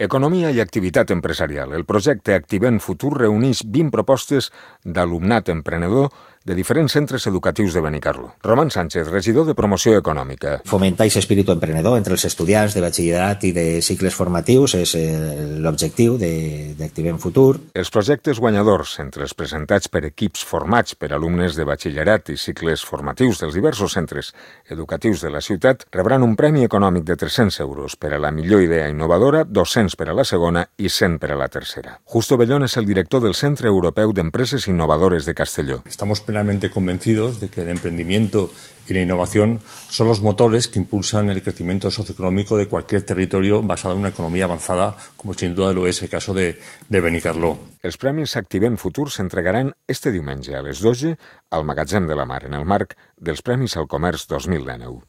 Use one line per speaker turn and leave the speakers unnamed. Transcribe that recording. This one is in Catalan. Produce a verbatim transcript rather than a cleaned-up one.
Economia i activitat empresarial. El projecte Activem Futur reuneix vint propostes d'alumnat emprenedor de diferents centres educatius de Benicarló. Roman Sánchez, regidor de Promoció Econòmica.
Fomentar aquest espíritu emprenedor entre els estudiants de batxillerat i de cicles formatius és l'objectiu d'Activem Futur.
Els projectes guanyadors, entre els presentats per equips formats per alumnes de batxillerat i cicles formatius dels diversos centres educatius de la ciutat, rebran un premi econòmic de tres-cents euros per a la millor idea innovadora, dos-cents per a la segona i cent per a la tercera. Justo Bellón és el director del Centre Europeu d'Empreses Innovadores de Castelló.
Estamos plenamente convencidos de que el emprendimiento y la innovación son los motores que impulsan el crecimiento socioeconómico de cualquier territorio basado en una economía avanzada, como sin duda lo es el caso de, de Benicarló.
Els premis Activem Futur s'entregaran este diumenge a les dotze al Magatzem de la Mar, en el marc dels Premis al Comerç dos mil dinou.